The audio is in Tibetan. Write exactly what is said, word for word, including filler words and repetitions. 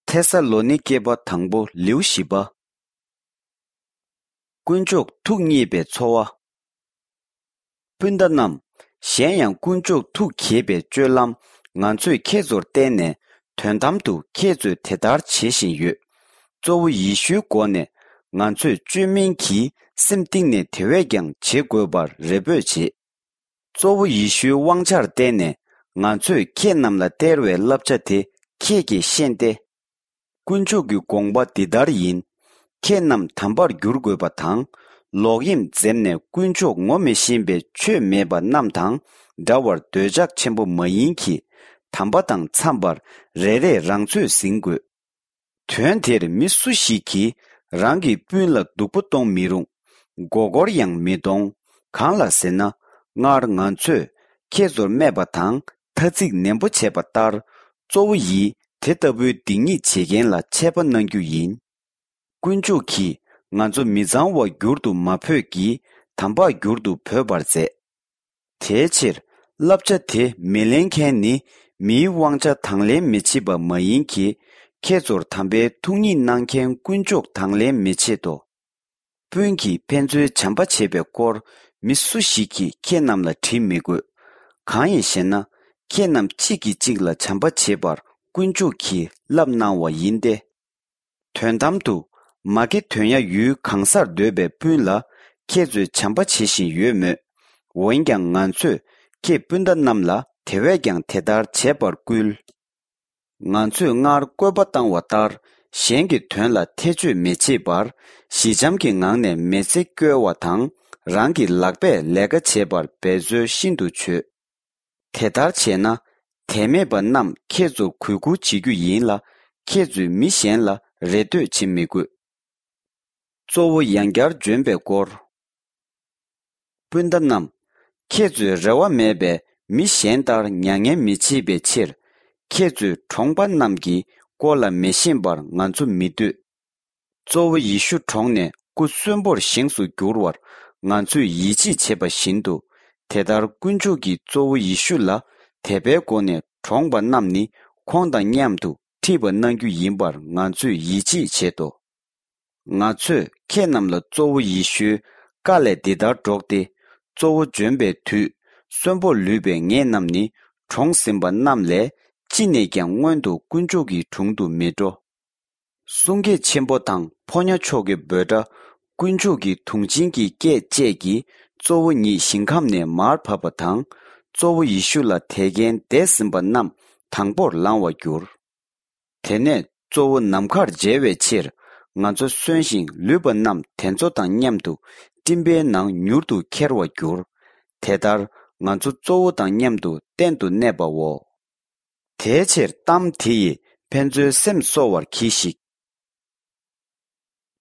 ཐེ་ས་ལོ་ནི་ཀེ་པ་དང་པོ་ལེའུ་བཞི་པ། དཀོན་མཆོག་ཐུགས་མཉེས་པའི་འཚོ་བ། སྤུན་ཟླ་རྣམས། གཞན་ཡང་དཀོན་མཆོག་ཐུགས་དགྱེས་པའི་སྤྱོད་ལམ་ང་ཚོས་ཁྱེད་ཚོར་བསྟན་ནས། དོན་དམ་དུ་ཁྱེད་ཚོས་དེ་ལྟར་བྱེད་བཞིན་ཡོད། གཙོ་བོ་ཡེ་ཤུའི་སྒོ་ནས་ང་ཚོས་བཅོས་མིན་གྱི་སེམས་གཏིང་ནས་དེ་བས་ཀྱང་བྱེད་དགོས་པར་རེ་འབོད་བྱེད། གཙོ་བོ་ཡེ་ཤུའི་དབང་ཆར་བརྟེན་ནས་ང་ཚོས་ཁྱེད་རྣམས་ལ་སྟེར་བའི་བསླབ་བྱ་དེ་ཁྱེད་ཀྱིས་ཤེས་ཏེ། དཀོན་མཆོག་གི་དགོངས་པ་འདི་ལྟར་ཡིན། ཁྱེད་རྣམས་དམ་པར་འགྱུར་དགོས་པ་དང་། ལོག་གཡེམ་འཛེམས་ནས་དཀོན་མཆོག་ངོ་མི་ཤེས་པའི་ཆོས་མེད་པ་རྣམས་དང་འདྲ་བར་འདོད་ཆགས་ཆེན་པོ་མ་ཡིན་གྱི། དམ་པ་དང་འཚམས་པར་རེ་རེས་རང་ཚོད་ཟིན་དགོས། དོན་དེར་མི་སུ་ཞིག་གིས་རང་གི་སྤུན་ལ་སྡུག་པོ་གཏོང་མི་རུང་། མགོ་སྐོར་ཡང་མི་གཏོང་། གང་ལ་ཟེར་ན། སྔར་ང་ཚོས་ཁྱེད་ཚོར་སྨྲས་པ་དང་ཐ་ཚིག་ནན་པོ་བྱས་པ་ལྟར། གཙོ་བོ་ཡིས་དེ་ལྟ་བུའི་སྡིག་ཉེས་བྱེད་མཁན་ལ་ཆད་པ་གནང་རྒྱུ་ཡིན། དཀོན་མཆོག་གིས་ང་ཚོ་མི་གཙང་བ་འགྱུར་དུ་མ་བོས་ཀྱི། དམ་པར་འགྱུར་དུ་བོས་པར་མཛད། དེའི་ཕྱིར། བསླབ་བྱ་དེ་མི་ལེན་མཁན་ནི་མིའི་དབང་ཆ་དང་ལེན་མི་བྱེད་པ་མ་ཡིན་གྱི། ཁྱེད་ཚོར་དམ་པའི་ཐུགས་ཉིད་གནང་མཁན་དཀོན་མཆོག་དང་ལེན་མི་བྱེད་དོ། སྤུན་གྱིས་ཕན་ཚུན་བྱམས་པ་བྱེད་པའི་སྐོར་མི་སུ་ཞིག་གིས་ཁྱེད་རྣམས་ལ་དྲི་མི་དགོས། གང་ཡིན་ཞེ་ན། ཁྱེད་རྣམས་གཅིག་གིས་གཅིག་ལ་བྱམས་པ་བྱེད་པར་དཀོན་མཆོག་གིས་བསླབ་གནང་བ་ཡིན་ཏེ། དོན་དམ་དུ། མ་ཀེ་དོན་ཡ་ཡུལ་གང་སར་སྡོད་པའི་སྤུན་ལ་ཁྱེད་ཚོས་བྱམས་པ་བྱེད་བཞིན་ཡོད་མོད། འོན་ཀྱང་ང་ཚོས་ཁྱེད་སྤུན་ཟླ་རྣམས་ལ་དེ་བས་ཀྱང་དེ་ལྟར་བྱེད་པར་བསྐུལ། ང་ཚོས་སྔར་བཀོད་པ་བཏང་བ་ལྟར་གཞན་གྱི་དོན་ལ་ཐེ་བྱུས་མི་བྱེད་པར། ཞི་འཇམ་གྱི་ངང་ནས་མི་ཚེ་སྐྱོལ་བ་དང་། རང་གི་ལག་པས་ལས་ཀ་བྱེད་པར་འབད་རྩོལ་ཤིན་ཏུ་བྱོས། དེ་ལྟར་བྱས་ན། དད་མེད་པ་རྣམས་ཁྱེད་ཚོར་གུས་བཀུར་བྱེད་རྒྱུ་ཡིན་ལ། ཁྱེད་ཚོས་མི་གཞན་ལ་རེ་ལྟོས་བྱེད་མི་དགོས། གཙོ་བོ་ཡང་བསྐྱར་འབྱོན་པའི་སྐོར། སྤུན་ཟླ་རྣམས། ཁྱེད་ཚོས་རེ་བ་མེད་པའི་མི་གཞན་ལྟར་མྱ་ངན་མི་བྱེད་པའི་ཕྱིར། ཁྱེད་ཚོས་གྲོངས་པ་རྣམས་ཀྱི་སྐོར་ལ་མི་ཤེས་པར་ང་ཚོ་མི་འདོད། གཙོ་བོ་ཡེ་ཤུ་གྲོངས་ནས་སྐུ་གསོན་པོར་བཞེངས་སུ་འགྱུར་བར་ང་ཚོས་ཡིད་ཆེས་བྱེད་པ་བཞིན་དུ། དེ་ལྟར་དཀོན་མཆོག་གིས་གཙོ་བོ་ཡེ་ཤུ་ལ་དད་པའི་སྒོ་ནས་གྲོངས་པ་རྣམས་ནི་ཁོང་དང་མཉམ་དུ་ཁྲིད་པ་གནང་རྒྱུ་ཡིན་པར་ང་ཚོས་ཡིད་ཆེས་བྱེད་དོ། ང་ཚོས་ཁྱེད་རྣམས་ལ་གཙོ་བོ་ཡེ་ཤུའི་བཀའ་ལས་འདི་ལྟར་སྒྲོག་སྟེ། གཙོ་བོ་འབྱོན་པའི་དུས་གསོན་པོར་ལུས་པའི་ངེད་རྣམས་ནི་གྲོངས་ཟིན་པ་རྣམས་ལས་ཅི་ནས་ཀྱང་སྔོན་དུ་དཀོན་མཆོག་གི་དྲུང་དུ་མི་འགྲོ། གསུང་སྐད་ཆེན་པོ་དང་ཕོ་ཉ་མཆོག་གི་འབོད་སྒྲ། དཀོན་མཆོག་གི་དུང་ཆེན་གྱི་སྐད་བཅས་ཀྱིས་གཙོ་བོ་ཉིད་ཞིང་ཁམས་ནས་མར་བབས་པ་དང་། གཙོ་བོ་ཡེ་ཤུ་ལ་དད་མཁན་འདས་ཟིན་པ་རྣམས་དང་པོར་ལང་བར་འགྱུར། དེ་ནས་གཙོ་བོ་ནམ་མཁར་མཇལ་བའི་ཕྱིར། ང་ཚོ་གསོན་ཞིང་ལུས་པ་རྣམས་དེ་ཚོ་དང་མཉམ་དུ་སྤྲིན་པའི་ནང་མྱུར་དུ་ཁྱེར་བར་འགྱུར། དེ་ལྟར་ང་ཚོ་གཙོ་བོ་དང་མཉམ་དུ་གཏན་དུ་གནས་པའོ། དེའི་ཕྱིར་གཏམ་དེ་ཡིས་ཕན་ཚུན་སེམས་གསོ་བར་གྱིས་ཤིག།